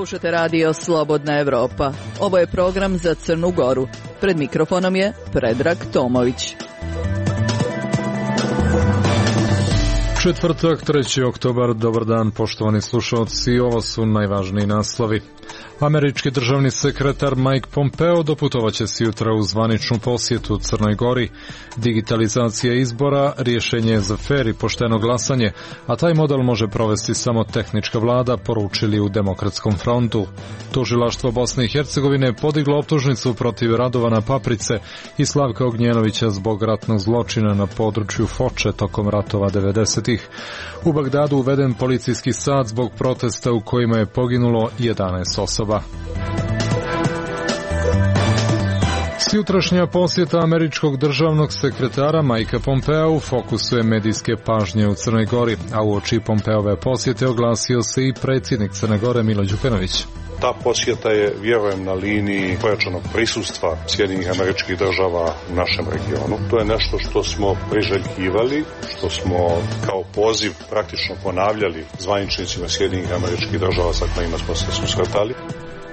Slušate radio Slobodna Evropa. Ovo je program za Crnu Goru. Pred mikrofonom je Predrag Tomović. Četvrtak, 3. oktobar, dobar dan poštovani slušalci, ovo su najvažniji naslovi. Američki državni sekretar Mike Pompeo doputovaće se jutra u zvaničnu posjetu Crnoj Gori. Digitalizacija izbora rješenje je za fer i pošteno glasanje, a taj model može provesti samo tehnička vlada, poručili u Demokratskom frontu. Tužilaštvo Bosne i Hercegovine podiglo optužnicu protiv Radovana Paprice i Slavka Ognjenovića zbog ratnog zločina na području Foče tokom ratova 90-ih. U Bagdadu uveden policijski sat zbog protesta u kojima je poginulo 11 osoba. Sjutrašnja posjeta američkog državnog sekretara Mikea Pompea u fokusu je medijske pažnje u Crnoj Gori, a uoči Pompeove posjete oglasio se i predsjednik Crne Gore Milo Đukanović. Ta posjeta je, vjerujem, na liniji pojačanog prisustva Sjedinjenih Američkih Država u našem regionu. To je nešto što smo priželjkivali, što smo kao poziv praktično ponavljali zvaničnicima Sjedinjenih Američkih Država sa kojima smo se susretali.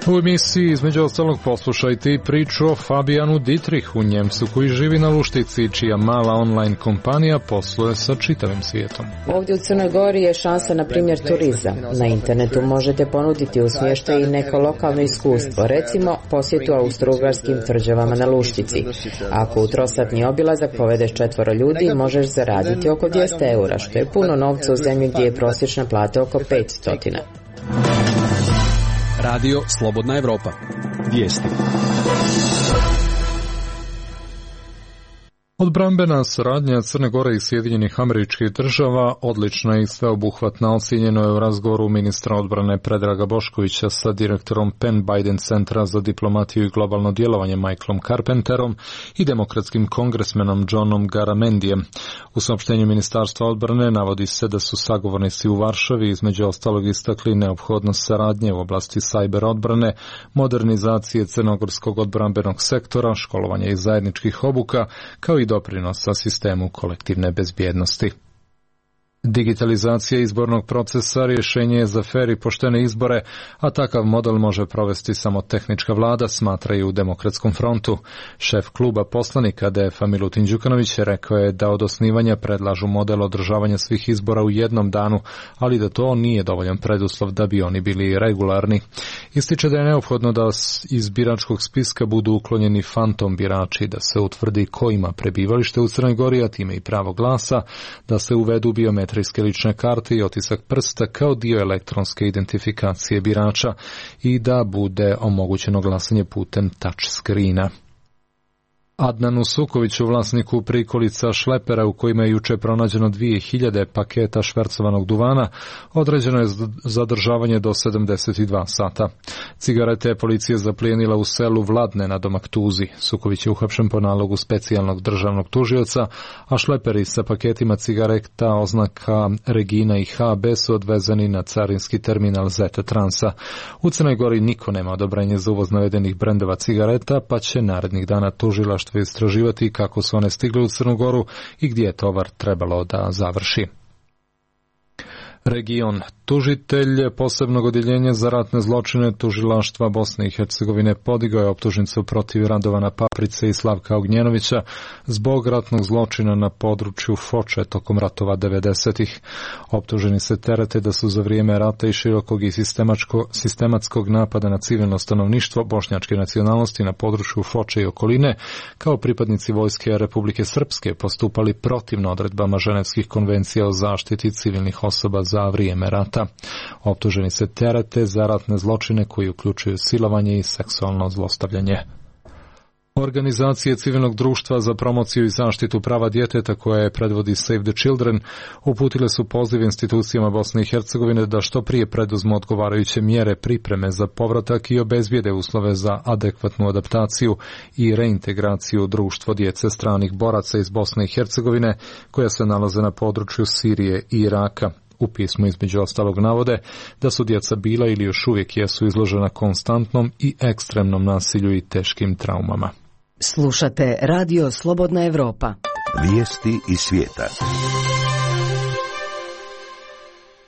U emisiji između ostalog poslušajte i priču o Fabijanu Dietrichu, Njemcu koji živi na Luštici, čija mala online kompanija posluje sa čitavim svijetom. Ovdje u Crnoj Gori je šansa, na primjer, turizam. Na internetu možete ponuditi u smještaju i neko lokalno iskustvo, recimo posjetu austrougarskim tvrđavama na Luštici. Ako u trosatni obilazak povedeš 4 ljudi, možeš zaraditi oko 200 eura, što je puno novca u zemlji gdje je prosječna plata oko 500. Radio Slobodna Evropa. Vijesti. Odbrambena saradnja Crne Gore i Sjedinjenih Američkih Država odlična i sveobuhvatna, ocijenjeno je u razgovoru ministra odbrane Predraga Boškovića sa direktorom Penn Biden centra za diplomatiju i globalno djelovanje Michaelom Carpenterom i demokratskim kongresmenom Johnom Garamendijem. U saopštenju Ministarstva odbrane navodi se da su sagovornici u Varšavi između ostalog istakli neophodnost saradnje u oblasti sajber odbrane, modernizacije crnogorskog odbrambenog sektora, školovanja i zajedničkih obuka, kao i doprinosa sistemu kolektivne bezbjednosti. Digitalizacija izbornog procesa rješenje je za fer i poštene izbore, a takav model može provesti samo tehnička vlada, smatraju u Demokratskom frontu. Šef kluba poslanika DF-a Milutin Đukanović rekao je da od osnivanja predlažu model održavanja svih izbora u jednom danu, ali da to nije dovoljan preduslov da bi oni bili regularni. Ističe da je neophodno da iz biračkog spiska budu uklonjeni fantom birači, da se utvrdi ko ima prebivalište u Crnoj Gori, a time i pravo glasa, da se uvedu biometrijske lične karte i otisak prsta kao dio elektronske identifikacije birača i da bude omogućeno glasanje putem touch screena. Adnanu Sukoviću, vlasniku prikolica šlepera u kojima je juče pronađeno 2000 paketa švercovanog duvana, određeno je zadržavanje do 72 sata. Cigarete je policija zaplijenila u selu Vladne na Domaktuzi. Suković je uhapšen po nalogu specijalnog državnog tužioca, a šleperi sa paketima cigareta oznaka Regina i HB su odvezeni na carinski terminal Zeta Transa. U Crnoj Gori niko nema odobrenje za uvoz navedenih brendova cigareta, pa će narednih dana tužilaštvo istraživati kako su one stigle u Crnu Goru i gdje je tovar trebalo da završi. Region. Tužitelj posebnog odjeljenja za ratne zločine tužilaštva Bosne i Hercegovine podigao je optužnicu protiv Radovana Paprice i Slavka Ognjenovića zbog ratnog zločina na području Foče tokom ratova 90-ih. Optuženi se terete da su za vrijeme rata i širokog i sistematskog napada na civilno stanovništvo bošnjačke nacionalnosti na području Foče i okoline, kao pripadnici vojske Republike Srpske postupali protivno odredbama Ženevskih konvencija o zaštiti civilnih osoba za vrijeme rata. Optuženi se terete za ratne zločine koji uključuju silovanje i seksualno zlostavljanje. Organizacije civilnog društva za promociju i zaštitu prava djeteta koje predvodi Save the Children uputile su poziv institucijama Bosne i Hercegovine da što prije preduzmu odgovarajuće mjere pripreme za povratak i obezbijede uslove za adekvatnu adaptaciju i reintegraciju u društvo djece stranih boraca iz Bosne i Hercegovine koja se nalaze na području Sirije i Iraka. U pismu između ostalog navode da su djeca bila ili još uvijek jesu izložena konstantnom i ekstremnom nasilju i teškim traumama. Slušate Radio Slobodna Evropa. Vijesti iz svijeta.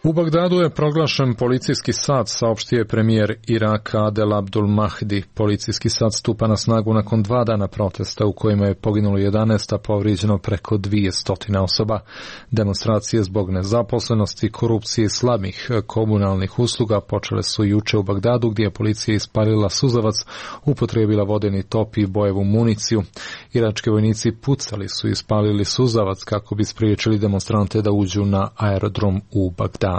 U Bagdadu je proglašen policijski sat, saopštio je premijer Iraka Adel Abdul Mahdi. Policijski sat stupa na snagu nakon 2 dana protesta u kojima je poginulo 11, a povrijeđeno preko 200 osoba. Demonstracije zbog nezaposlenosti, korupcije i slabih komunalnih usluga počele su juče u Bagdadu, gdje je policija ispalila suzavac, upotrijebila vodeni top i bojevu municiju. Irački vojnici pucali su i ispalili suzavac kako bi spriječili demonstrante da uđu na aerodrom u Bagdadu.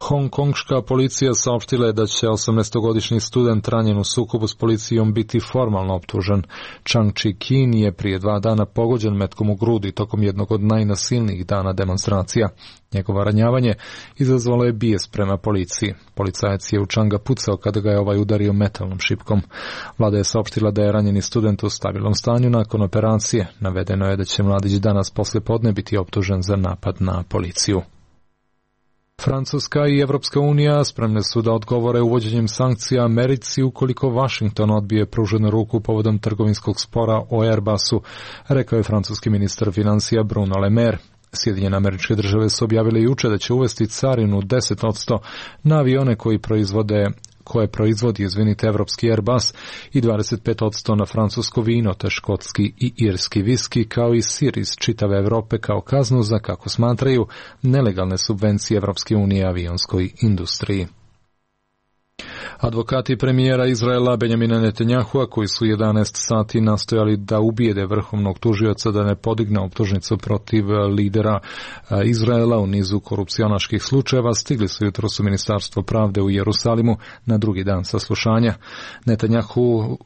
Hongkongška policija saopštila je da će 18-godišnji student ranjen u sukobu s policijom biti formalno optužen. Chang Chi-kin je prije 2 dana pogođen metkom u grudi tokom jednog od najnasilnijih dana demonstracija. Njegovo ranjavanje izazvalo je bijes prema policiji. Policajac je u Changa pucao kada ga je ovaj udario metalnom šipkom. Vlada je saopštila da je ranjeni student u stabilnom stanju nakon operacije. Navedeno je da će mladić danas poslijepodne biti optužen za napad na policiju. Francuska i Evropska unija spremne su da odgovore uvođenjem sankcija Americi ukoliko Washington odbije pruženu ruku povodom trgovinskog spora o Airbusu, rekao je francuski ministar financija Bruno Le Maire. Sjedinjene Američke Države su objavile juče da će uvesti carinu 10% na avione koje proizvodi evropski Airbus i 25% na francusko vino, te škotski i irski viski, kao i sir iz čitave Europe kao kaznu za, kako smatraju, nelegalne subvencije Evropske unije avionskoj industriji. Advokati premijera Izraela Benjamina Netanjahua, koji su 11 sati nastojali da ubijede vrhovnog tužioca da ne podigne optužnicu protiv lidera Izraela u nizu korupcionaških slučajeva, stigli su jutros u Ministarstvo pravde u Jerusalimu na drugi dan saslušanja.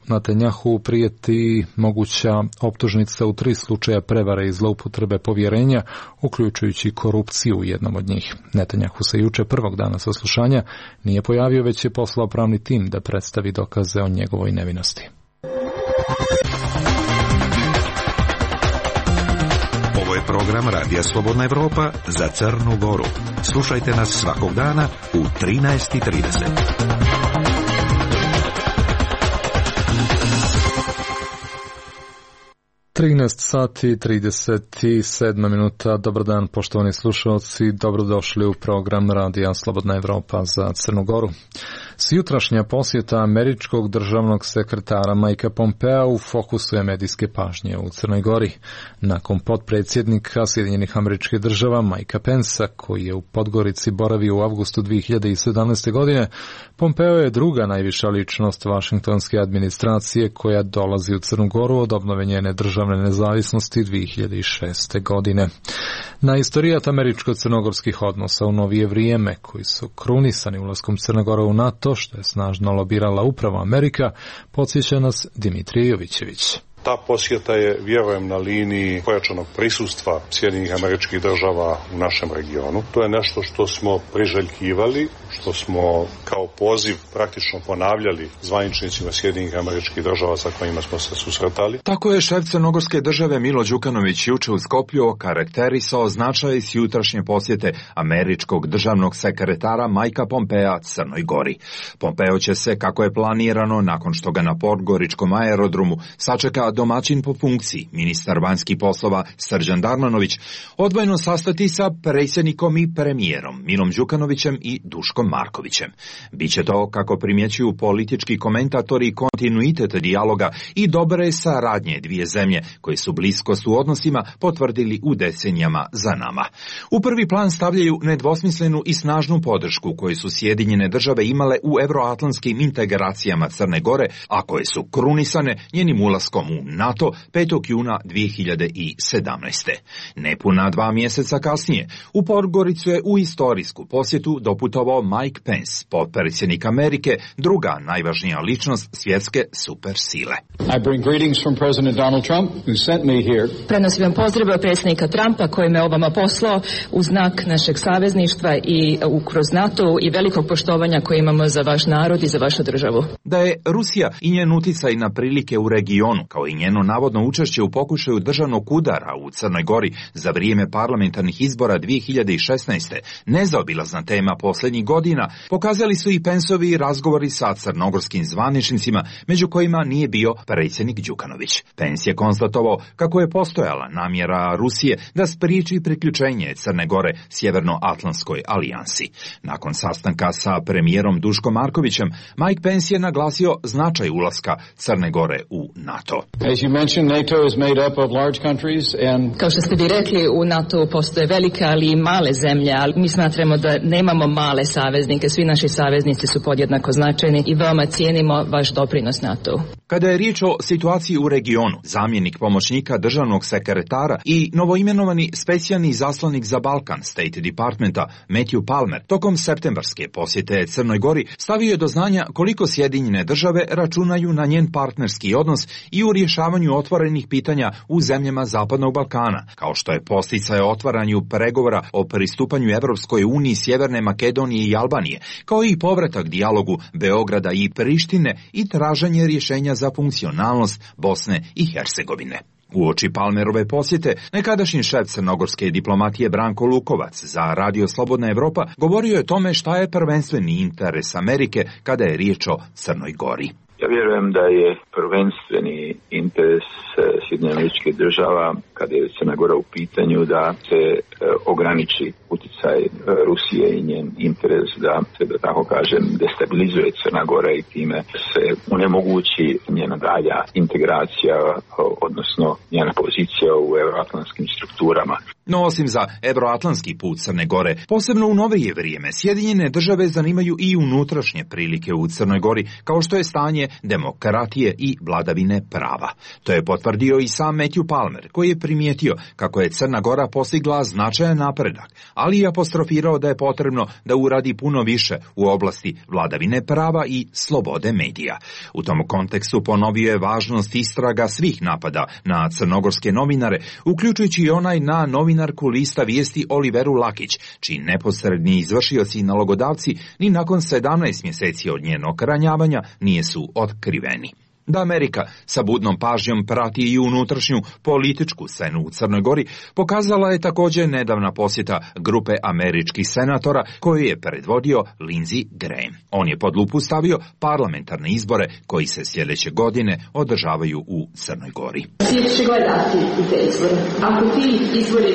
Netanjahu prijeti moguća optužnica u 3 slučaja prevare i zloupotrebe povjerenja, uključujući korupciju u jednom od njih. Netanjahu se juče prvog dana saslušanja nije pojavio, već je poslao pravni tim da predstavi dokaze o njegovoj nevinosti. Ovo je program Radija Slobodna Evropa za Crnu Goru. Slušajte nas svakog dana u 13:30. 13 sati 37 minuta. Dobar dan, poštovani slušalci, dobrodošli u program Radija Slobodna Evropa za Crnu Goru. Sjutrašnja posjeta američkog državnog sekretara Mikea Pompea u fokusu je medijske pažnje u Crnoj Gori. Nakon potpredsjednika Sjedinjenih Američkih Država Mikea Pensa, koji je u Podgorici boravio u avgustu 2017. godine, Pompeo je druga najviša ličnost vašingtonske administracije koja dolazi u Crnu Goru od obnove njene državne nezavisnosti 2006. godine. Na istorijat američko-crnogorskih odnosa u novije vrijeme, koji su krunisani ulaskom Crne Gore u NATO, što je snažno lobirala upravo Amerika, podsjeća nas Dimitrije Jovićević. Ta posjeta je, vjerujem, na liniji pojačanog prisustva Sjedinjenih Američkih Država u našem regionu. To je nešto što smo priželjkivali, što smo kao poziv praktično ponavljali zvaničnicima Sjedinjenih Američkih Država sa kojima smo se susretali. Tako je šef crnogorske države Milo Đukanović juče u Skoplju okarakterisao značaj jutrašnje posjete američkog državnog sekretara Mikea Pompea Crnoj Gori. Pompeo će se, kako je planirano, nakon što ga na podgoričkom aerodromu sačeka domaćin po funkciji, ministar vanjskih poslova Srđan Darmanović, odvojeno sastati sa predsjednikom i premijerom Milom Đukanovićem i Duškom Markovićem. Biće to, kako primjećuju politički komentatori, kontinuitet dijaloga i dobre saradnje dvije zemlje, koje su bliskost u odnosima potvrdili u decenijama za nama. U prvi plan stavljaju nedvosmislenu i snažnu podršku koju su Sjedinjene Države imale u euroatlantskim integracijama Crne Gore, a koje su krunisane njenim ulaskom u NATO 5. juna 2017. Nepuna 2 mjeseca kasnije, u Podgoricu je u istorijsku posjetu doputovao Mike Pence, potpredsjednik Amerike, druga najvažnija ličnost svjetske supersile. I bring greetings from President Donald Trump, who sent me here. Prenosim vam pozdrave predsjednika Trumpa koji me ovama poslao u znak našeg savezništva i kroz NATO i velikog poštovanja koje imamo za vaš narod i za vašu državu. da je Rusija i njen uticaj na prilike u regionu, kao i njeno navodno učešće u pokušaju državnog udara u Crnoj Gori za vrijeme parlamentarnih izbora 2016. nezaobilazna tema posljednjih godina, pokazali su i Penceovi razgovori sa crnogorskim zvaničnicima, među kojima nije bio predsjednik Đukanović. Pence je konstatovao kako je postojala namjera Rusije da spriječi priključenje Crne Gore Sjevernoatlantskoj alijansi. Nakon sastanka sa premijerom Duškom Markovićem, Mike Pence je naglasio značaj ulaska Crne Gore u NATO. Kao što ste vi rekli, u NATO postoje velike, ali i male zemlje, ali mi smatramo da nemamo male saveznike. Svi naši saveznici su podjednako značajni i veoma cijenimo vaš doprinos NATO. Kada je riječ o situaciji u regionu, zamjenik pomoćnika državnog sekretara i novoimenovani specijalni zaslanik za Balkan State Departmenta Matthew Palmer tokom septembarske posjete Crnoj Gori stavio je do znanja koliko Sjedinjene države računaju na njen partnerski odnos i u rješavanju otvorenih pitanja u zemljama Zapadnog Balkana, kao što je posticaj o otvaranju pregovora o pristupanju Evropskoj uniji Sjeverne Makedonije i Albanije, kao i povratak dijalogu Beograda i Prištine i traženje rješenja za funkcionalnost Bosne i Hercegovine. Uoči Palmerove posjete, nekadašnji šef crnogorske diplomatije Branko Lukovac za Radio Slobodna Evropa govorio je o tome šta je prvenstveni interes Amerike kada je riječ o Crnoj Gori. Ja vjerujem da je prvenstveni interes Sjedinjenih Američkih Država, kada je Crna Gora u pitanju, da se ograniči utjecaj Rusije i njen interes da se, da tako kažem, destabilizuje Crna Gora i time se onemogući njena dalja integracija, odnosno njena pozicija u euroatlantskim strukturama. No osim za euroatlantski put Crne Gore, posebno u novije vrijeme, Sjedinjene države zanimaju i unutrašnje prilike u Crnoj Gori, kao što je stanje demokratije i vladavine prava. To je potvrdio i sam Matthew Palmer, koji je primijetio kako je Crna Gora postigla značajan napredak, ali i apostrofirao da je potrebno da uradi puno više u oblasti vladavine prava i slobode medija. U tom kontekstu ponovio je važnost istraga svih napada na crnogorske novinare, uključujući i onaj na novinarku lista Vijesti Oliveru Lakić, čiji neposredni izvršioci i nalogodavci ni nakon 17 mjeseci od njenog ranjavanja nisu otkriveni. Da Amerika sa budnom pažnjom prati i unutrašnju političku scenu u Crnoj Gori pokazala je također nedavna posjeta grupe američkih senatora koju je predvodio Lindsey Graham. On je pod lupu stavio parlamentarne izbore koji se sljedeće godine održavaju u Crnoj Gori. Svijet će gledati te izbore. Ako ti izbori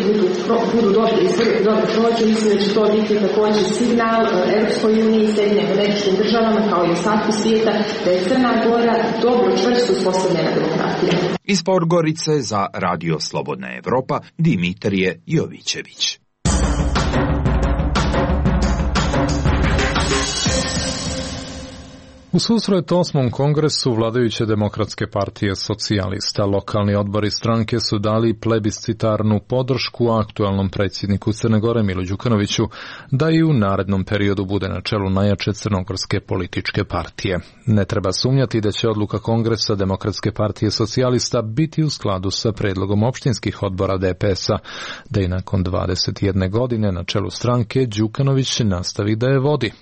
budu dobri izbori, dobro prođu, mislim da će to biti također signal Europskoj uniji i Sjedinjenim Američkim Državama kao i ostatku svijeta da je Crna Gora dobro čvrsto uspostavljena demokratija. Iz Podgorice za Radio Slobodna Evropa Dimitrije Jovićević. U susret 8. kongresu vladajuće demokratske partije socijalista, lokalni odbori stranke su dali plebiscitarnu podršku aktualnom predsjedniku Crne Gore Milu Đukanoviću da i u narednom periodu bude na čelu najjače crnogorske političke partije. Ne treba sumnjati da će odluka kongresa Demokratske partije socijalista biti u skladu sa predlogom opštinskih odbora DPS-a, da i nakon 21 godine na čelu stranke Đukanović nastavi da je vodi.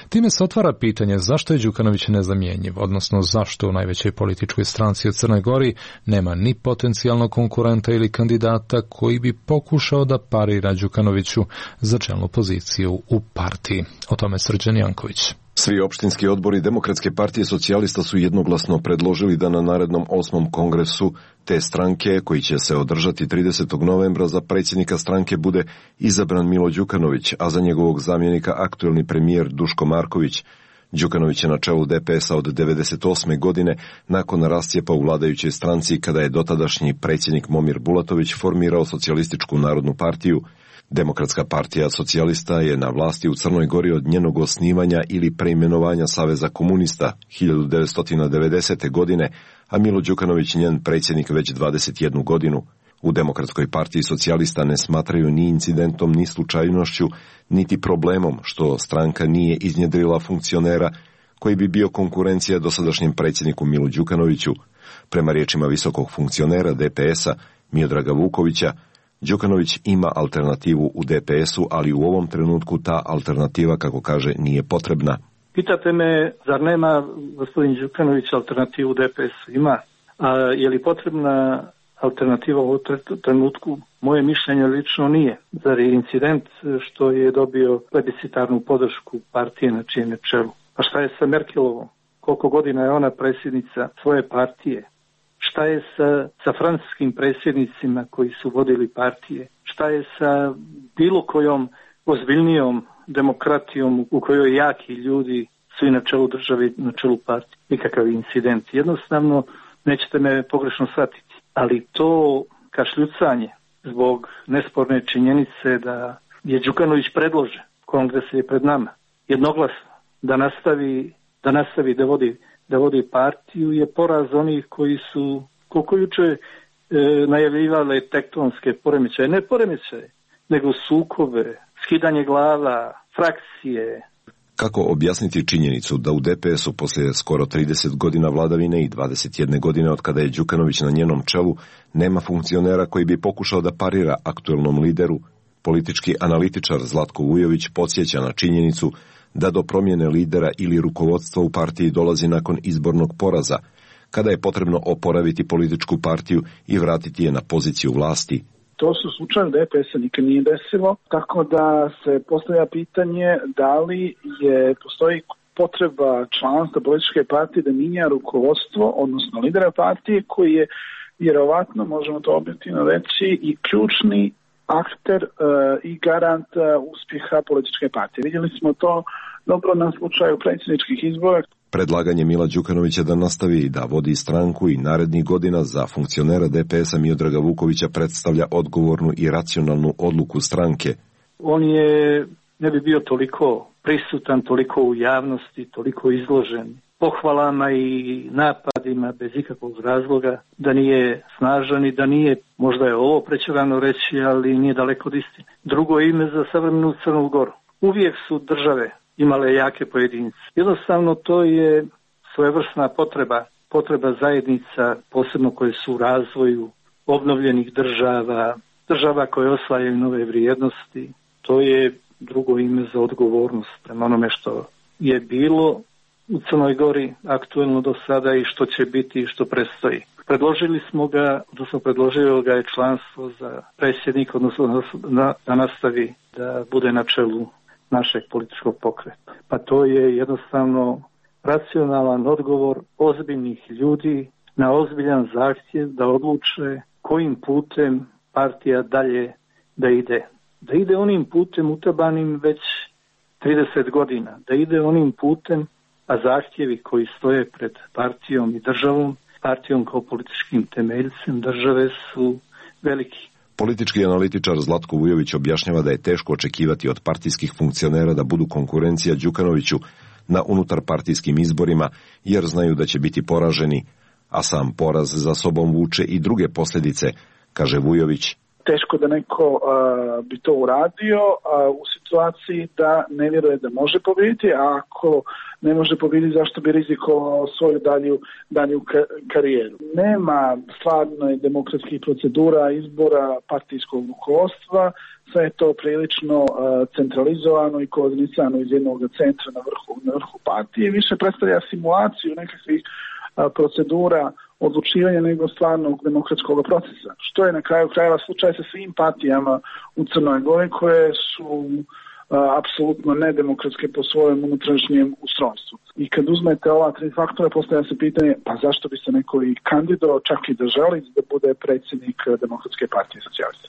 Time se otvara pitanje zašto je Đukanović nezamjenjiv, odnosno zašto u najvećoj političkoj stranci u Crnoj Gori nema ni potencijalnog konkurenta ili kandidata koji bi pokušao da parira Đukanoviću za čelnu poziciju u partiji. O tome Srđan Janković. Svi opštinski odbori Demokratske partije socijalista su jednoglasno predložili da na narednom 8. kongresu te stranke, koji će se održati 30. novembra, za predsjednika stranke bude izabran Milo Đukanović, a za njegovog zamjenika aktuelni premijer Duško Marković. Đukanović je na čelu DPS-a od 1998. godine nakon rascijepa u vladajućoj stranci kada je dotadašnji predsjednik Momir Bulatović formirao Socijalističku narodnu partiju. Demokratska partija socijalista je na vlasti u Crnoj Gori od njenog osnivanja ili preimenovanja Saveza komunista 1990. godine, a Milo Đukanović njen predsjednik već 21 godinu. U Demokratskoj partiji socijalista ne smatraju ni incidentom, ni slučajnošću, niti problemom što stranka nije iznjedrila funkcionera koji bi bio konkurencija dosadašnjem predsjedniku Milu Đukanoviću. Prema riječima visokog funkcionera DPS-a Miodraga Vukovića, Đukanović ima alternativu u DPS-u, ali u ovom trenutku ta alternativa, kako kaže, nije potrebna. Pitate me, zar nema gospodin Đukanović alternativu DPS-u? Ima. A je li potrebna alternativa u ovom trenutku? Moje mišljenje lično nije. Zar je incident što je dobio plebiscitarnu podršku partije na čijem je čelu? A šta je sa Merkelovom? Koliko godina je ona predsjednica svoje partije? Šta je sa francuskim predsjednicima koji su vodili partije? Šta je sa bilo kojom ozbiljnijom demokratijom u kojoj jaki ljudi su i na čelu države, na čelu partije? Nikakav incident. Jednostavno, nećete me pogrešno shvatiti. Ali to kašljucanje zbog nesporne činjenice da je Đukanović predložen, kongres je pred nama, jednoglasno, da nastavi da vodi partiju, je poraz onih koji su, koliko juče najavljivale tektonske poremećaje, ne poremećaje, nego sukobe, skidanje glava, frakcije. Kako objasniti činjenicu da u DPS-u poslije skoro 30 godina vladavine i 21 godine od kada je Đukanović na njenom čelu nema funkcionera koji bi pokušao da parira aktuelnom lideru? Politički analitičar Zlatko Vujović podsjeća na činjenicu da do promjene lidera ili rukovodstva u partiji dolazi nakon izbornog poraza, kada je potrebno oporaviti političku partiju i vratiti je na poziciju vlasti. To su slučaje DPS-a nikad nije desilo, tako da se postavlja pitanje da li postoji potreba članstva političke partije da minja rukovodstvo, odnosno lidera partije, koji je vjerovatno, možemo to objektivno reći, i ključni akter i garant uspjeha političke partije. Vidjeli smo to dobro na slučaju predsjedničkih izbora. Predlaganje Mila Đukanovića da nastavi da vodi stranku i narednih godina za funkcionera DPS-a Miodraga Vukovića predstavlja odgovornu i racionalnu odluku stranke. On ne bi bio toliko prisutan, toliko u javnosti, toliko izložen pohvalama i napadima bez ikakvog razloga, da nije snažan i da nije, možda je ovo prečerano reći, ali nije daleko od istine. Drugo ime za savremenu Crnu Goru. Uvijek su države imale jake pojedince. Jednostavno to je svojevrsna potreba zajednica, posebno koje su u razvoju obnovljenih država koje osvajaju nove vrijednosti. To je drugo ime za odgovornost prema onome što je bilo u Crnoj Gori aktuelno do sada i što će biti i što predstoji. Predložio ga je članstvo za predsjednika, odnosno da nastavi da bude na čelu našeg političkog pokreta. Pa to je jednostavno racionalan odgovor ozbiljnih ljudi na ozbiljan zahtjev da odluče kojim putem partija dalje da ide. Da ide onim putem utabanim već 30 godina. Da ide onim putem, a zahtjevi koji stoje pred partijom i državom, partijom kao političkim temeljcem države su veliki. Politički analitičar Zlatko Vujović objašnjava da je teško očekivati od partijskih funkcionera da budu konkurencija Đukanoviću na unutarpartijskim izborima, jer znaju da će biti poraženi, a sam poraz za sobom vuče i druge posljedice, kaže Vujović. Teško da neko bi to uradio u situaciji da ne vjeruje da može pobijediti, a ako ne može pobijediti, zašto bi rizikovao svoju dalju karijeru. Nema stvarno demokratskih procedura izbora partijskog rukovodstva, sve je to prilično centralizovano i koordinisano iz jednog centra na vrhu partije. Više predstavlja simulaciju nekakvih procedura odlučivanja nego stvarnog demokratskog procesa. Što je na kraju krajeva slučaj sa svim partijama u Crnoj Gori koje su apsolutno nedemokratske po svojem unutrašnjem ustrojstvu. I kad uzmete ova tri faktora, postavlja se pitanje, pa zašto bi se neko i kandidovao, čak i da želi da bude predsjednik Demokratske partije socijalista.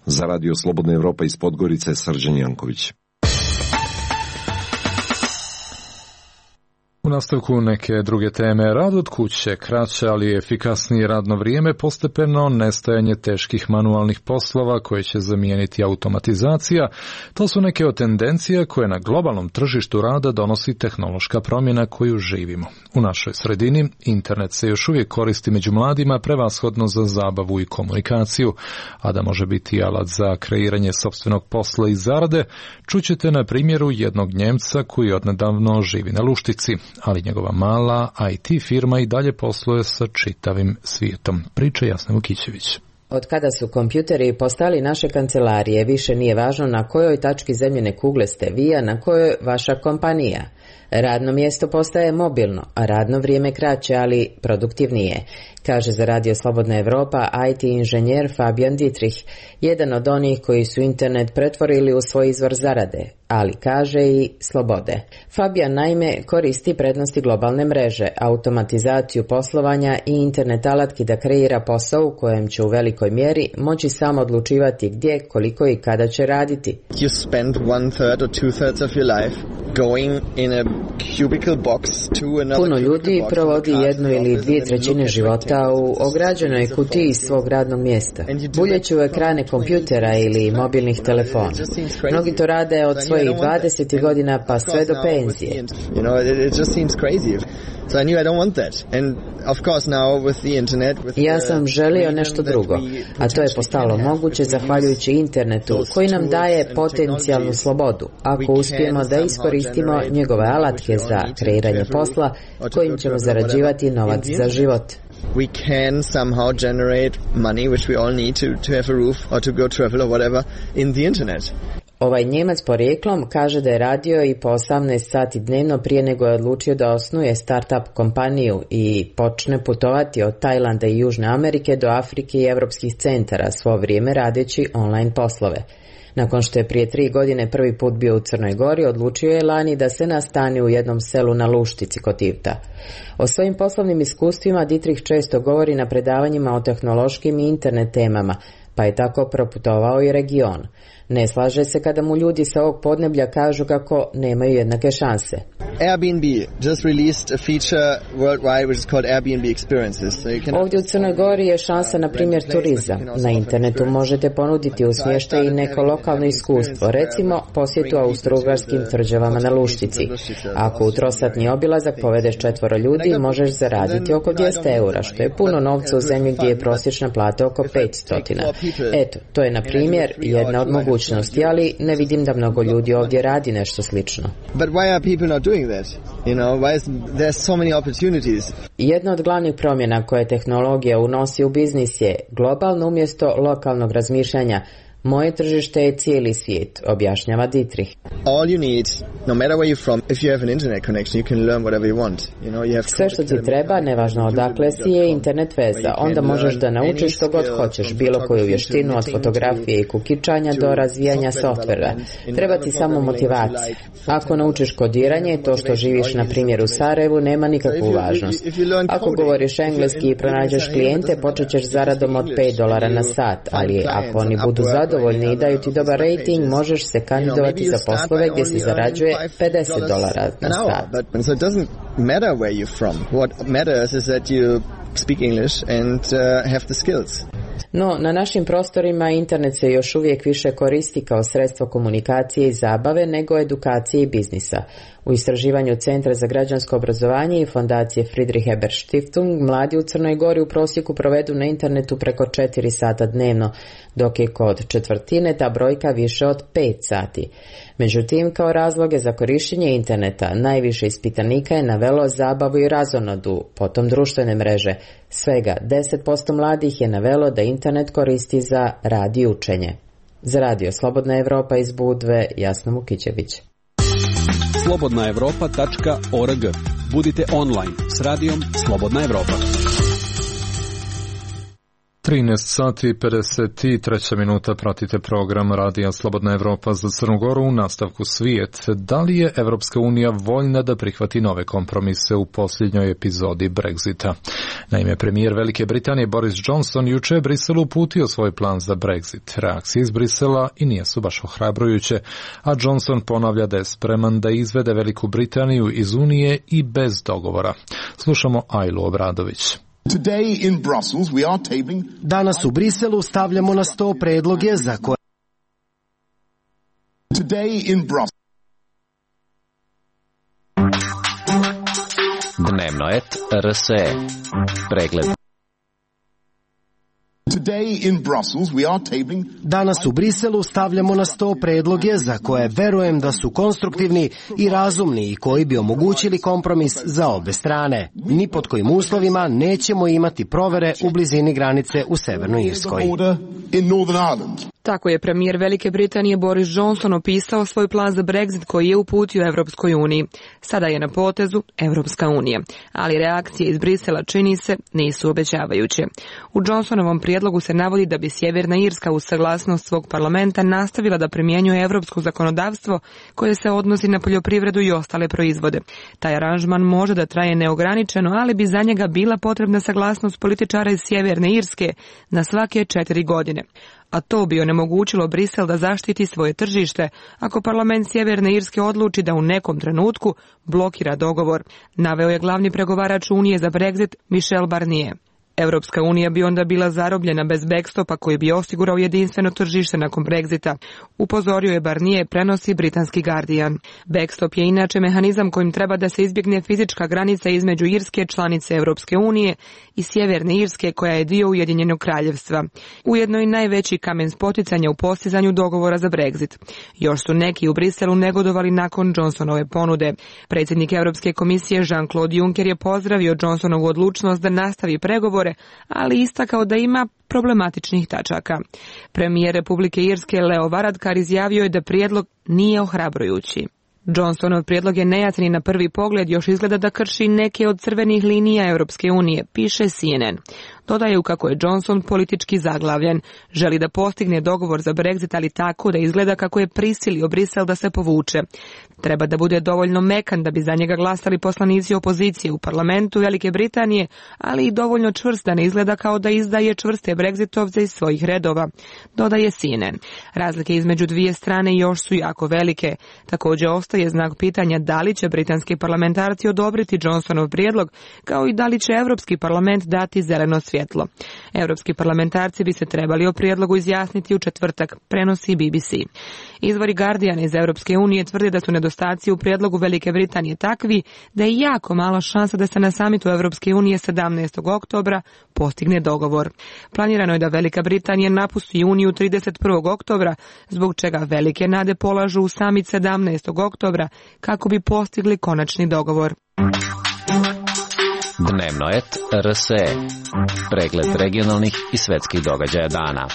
Za Radio Slobodna Evropa iz Podgorice, Srđan Janković. U nastavku neke druge teme, rad od kuće, kraće ali efikasnije radno vrijeme, postepeno nestajanje teških manualnih poslova koje će zamijeniti automatizacija, to su neke od tendencija koje na globalnom tržištu rada donosi tehnološka promjena koju živimo. U našoj sredini internet se još uvijek koristi među mladima prevashodno za zabavu i komunikaciju, a da može biti alat za kreiranje sopstvenog posla i zarade, čućete na primjeru jednog Njemca koji odnedavno živi na Luštici, ali njegova mala IT firma i dalje posluje sa čitavim svijetom. Priča Jasna Vukićević. Od kada su kompjuteri postali naše kancelarije, više nije važno na kojoj tački zemljine kugle ste vi, a na kojoj vaša kompanija. Radno mjesto postaje mobilno, a radno vrijeme kraće, ali produktivnije, kaže za Radio Slobodna Evropa IT inženjer Fabian Dietrich, jedan od onih koji su internet pretvorili u svoj izvor zarade, ali kaže i slobode. Fabian naime koristi prednosti globalne mreže, automatizaciju poslovanja i internet alatki da kreira posao u kojem će u velikoj mjeri moći sam odlučivati gdje, koliko i kada će raditi. You spend 1/3 or 2/3 of your life going in a cubicle box to another. Puno ljudi provodi 1 ili 2/3 života u ograđenoj kutiji svog radnog mjesta, buljeći u ekrane kompjutera ili mobilnih telefona. Mnogi to rade od svojih 20 godina pa sve do penzije. You know, it just seems crazy. So I knew I don't want that. And of course now with the internet, ja sam želio nešto drugo, a to je postalo moguće zahvaljujući internetu koji nam daje potencijalnu slobodu, ako uspijemo da iskoristimo njegove alatke za kreiranje posla kojim ćemo zarađivati novac za život. We can somehow generate money which we all need to have a roof or to go travel or whatever in the internet. Ovaj Njemac porijeklom kaže da je radio i po 18 sati dnevno prije nego je odlučio da osnuje start-up kompaniju i počne putovati od Tajlanda i Južne Amerike do Afrike i evropskih centara, svo vrijeme radeći online poslove. Nakon što je prije 3 godine prvi put bio u Crnoj Gori, odlučio je lani da se nastani u jednom selu na Luštici kod Tivta. O svojim poslovnim iskustvima Dietrich često govori na predavanjima o tehnološkim i internet temama, pa je tako proputovao i region. Ne slaže se kada mu ljudi sa ovog podneblja kažu kako nemaju jednake šanse. Airbnb just released a feature worldwide which is called Airbnb experiences. Ovdje u Crnoj Gori je šansa, na primjer, turizam. Na internetu možete ponuditi u smještaj i neko lokalno iskustvo, recimo posjetu austrougarskim tvrđavama na Luštici. Ako u trosatni obilazak povedeš 4 ljudi, možeš zaraditi oko 200 eura, što je puno novca u zemlji gdje je prosječna plata oko 500. Eto, to je, na primjer, jedna od mogućnosti, ali ne vidim da mnogo ljudi ovdje radi nešto slično. But why are people not doing that? You know, why is there so many opportunities? Jedna od glavnih promjena koje tehnologija unosi u biznis je globalno umjesto lokalnog razmišljanja. Moje tržište je cijeli svijet, objašnjava Dietrich. All you need, no matter where you're from, if you have an internet connection, you can learn whatever you want. You know, you have sve što ti treba, nevažno odakle si, je internet veza. Onda možeš da naučiš što god hoćeš, bilo koju vještinu, od fotografije i kukičanja do razvijanja softvera. Treba ti samo motivacija. Ako naučiš kodiranje, to što živiš na primjer u Sarajevu nema nikakvu važnost. Ako govoriš engleski i pronađeš klijente, počet ćeš zaradom od $5 na sat, ali ako oni budu zadovoljni i daju ti dobar rating, možeš se kandidovati za poslove gdje se zarađuje $50 na sat. So it doesn't matter where you're from. What matters is that you speak English and have the skills. No, na našim prostorima internet se još uvijek više koristi kao sredstvo komunikacije i zabave nego edukacije i biznisa. U istraživanju Centra za građansko obrazovanje i fondacije Friedrich Ebert Stiftung mladi u Crnoj Gori u prosjeku provedu na internetu preko 4 sata dnevno, dok je kod četvrtine ta brojka više od 5 sati. Međutim, kao razloge za korištenje interneta najviše ispitanika je navelo zabavu i razonodu, potom društvene mreže. Svega 10% mladih je navelo da internet koristi za rad i učenje. Za Radio Slobodna Evropa iz Budve, Jasna Mukićević. slobodnaevropa.org. Budite online s radijom Slobodna Evropa. 13 sati i 53 minuta, pratite program Radija Slobodna Evropa za Crnu Goru. U nastavku svijet. Da li je Evropska unija voljna da prihvati nove kompromise u posljednjoj epizodi Brexita? Naime, premijer Velike Britanije Boris Johnson juče je Briselu uputio svoj plan za Brexit. Reakcije iz Brisela i nije su baš ohrabrujuće, a Johnson ponavlja da je spreman da izvede Veliku Britaniju iz Unije i bez dogovora. Slušamo Ajlu Obradović. Danas u Briselu stavljamo na sto predloge za koje Dnevno RSE. Pregled. Danas u Briselu stavljamo na sto predloge za koje verujem da su konstruktivni i razumni i koji bi omogućili kompromis za obe strane. Ni pod kojim uslovima nećemo imati provere u blizini granice u Severnoj Irskoj. Tako je premijer Velike Britanije Boris Johnson opisao svoj plan za Brexit koji je uputio Evropskoj uniji. Sada je na potezu Evropska unija, ali reakcije iz Brisela, čini se, nisu obećavajuće. U Johnsonovom prijedlogu se navodi da bi Sjeverna Irska uz saglasnost svog parlamenta nastavila da primjenjuje evropsko zakonodavstvo koje se odnosi na poljoprivredu i ostale proizvode. Taj aranžman može da traje neograničeno, ali bi za njega bila potrebna saglasnost političara iz Sjeverne Irske na svake 4 godine. A to bi onemogućilo Brisel da zaštiti svoje tržište ako parlament Sjeverne Irske odluči da u nekom trenutku blokira dogovor, naveo je glavni pregovarač Unije za Brexit Michel Barnier. Evropska unija bi onda bila zarobljena bez backstopa koji bi osigurao jedinstveno tržište nakon Brexita, upozorio je Barnier, prenosi britanski Guardian. Backstop je inače mehanizam kojim treba da se izbjegne fizička granica između Irske, članice Evropske unije, i Sjeverne Irske koja je dio Ujedinjenog kraljevstva. Ujedno i najveći kamen spoticanja u postizanju dogovora za Brexit. Još su neki u Briselu negodovali nakon Johnsonove ponude. Predsjednik Europske komisije Jean-Claude Juncker je pozdravio Johnsonovu odlučnost da nastavi pregovore, ali istakao da ima problematičnih tačaka. Premijer Republike Irske Leo Varadkar izjavio je da prijedlog nije ohrabrujući. Johnsonov prijedlog je nejasni na prvi pogled, još izgleda da krši neke od crvenih linija Europske unije, piše CNN. Dodaju kako je Johnson politički zaglavljen. Želi da postigne dogovor za Brexit, ali tako da izgleda kako je prisilio Brisel da se povuče. Treba da bude dovoljno mekan da bi za njega glasali poslanici opozicije u parlamentu Velike Britanije, ali i dovoljno čvrst da ne izgleda kao da izdaje čvrste Brexitovce iz svojih redova, dodaje CNN. Razlike između dvije strane još su jako velike. Također ostaje znak pitanja da li će britanski parlamentarci odobriti Johnsonov prijedlog, kao i da li će Europski parlament dati zeleno svjetlo. Europski parlamentarci bi se trebali o prijedlogu izjasniti u četvrtak, prenosi BBC. Izvori Guardiana iz Europske unije tvrde da su nedostaci u prijedlogu Velike Britanije takvi da je jako mala šansa da se na samitu Europske unije 17. oktobra postigne dogovor. Planirano je da Velika Britanija napusti Uniju 31. oktobra, zbog čega velike nade polažu u samit 17. oktobra kako bi postigli konačni dogovor. Dnevno et RSE. Pregled regionalnih i svetskih događaja dana.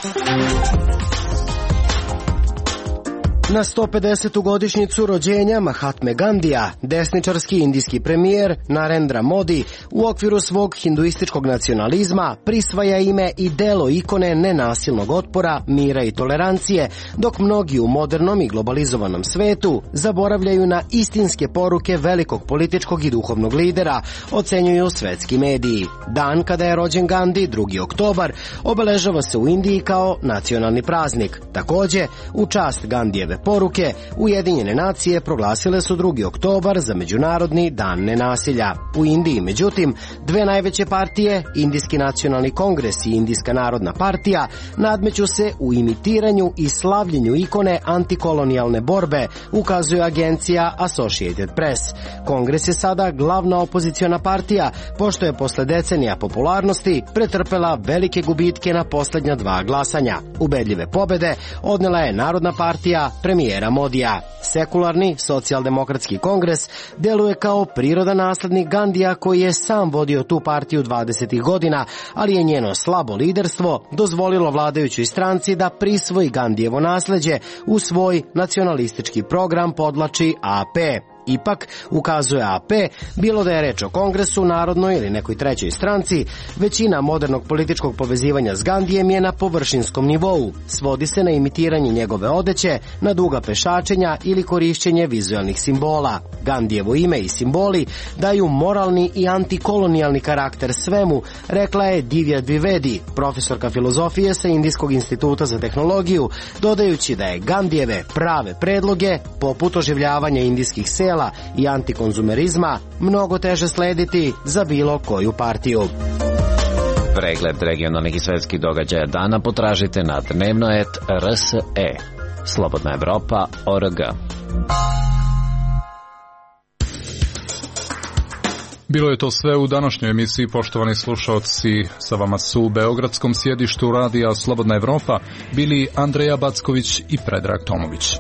Na 150. godišnjicu rođenja Mahatme Gandija, desničarski indijski premijer Narendra Modi u okviru svog hinduističkog nacionalizma prisvaja ime i delo ikone nenasilnog otpora, mira i tolerancije, dok mnogi u modernom i globalizovanom svetu zaboravljaju na istinske poruke velikog političkog i duhovnog lidera, ocenjuju svetski mediji. Dan kada je rođen Gandhi, 2. oktobar, obeležava se u Indiji kao nacionalni praznik. Također, u čast Gandijeve poruke, Ujedinjene nacije proglasile su 2. oktobar za Međunarodni dan nenasilja. U Indiji, međutim, dve najveće partije, Indijski nacionalni kongres i Indijska narodna partija, nadmeću se u imitiranju i slavljenju ikone antikolonijalne borbe, ukazuje agencija Associated Press. Kongres je sada glavna opoziciona partija, pošto je posle decenija popularnosti pretrpela velike gubitke na posljednja 2 glasanja. Ubedljive pobede odnela je Narodna partija premijera Modija. Sekularni socijaldemokratski kongres deluje kao prirodan naslednik Gandija koji je sam vodio tu partiju 20. godina, ali je njeno slabo liderstvo dozvolilo vladajućoj stranci da prisvoji Gandijevo nasleđe u svoj nacionalistički program, podvlači AP. Ipak, ukazuje AP, bilo da je reč o kongresu, narodnoj ili nekoj trećoj stranci, većina modernog političkog povezivanja s Gandijem je na površinskom nivou. Svodi se na imitiranje njegove odeće, na duga pešačenja ili korišćenje vizualnih simbola. Gandijevo ime i simboli daju moralni i antikolonijalni karakter svemu, rekla je Divya Dwivedi, profesorka filozofije sa Indijskog instituta za tehnologiju, dodajući da je Gandijeve prave predloge, poput oživljavanja indijskih sela i antikonzumerizma, mnogo teže slediti za bilo koju partiju. Pregled regionalnih i svetskih događaja dana potražite na dnevnoet.rs.e. Slobodna Evropa.org. Bilo je to sve u današnjoj emisiji, poštovani slušalci. Sa vama su u beogradskom sjedištu radija Slobodna Evropa bili Andreja Backović i Predrag Tomović.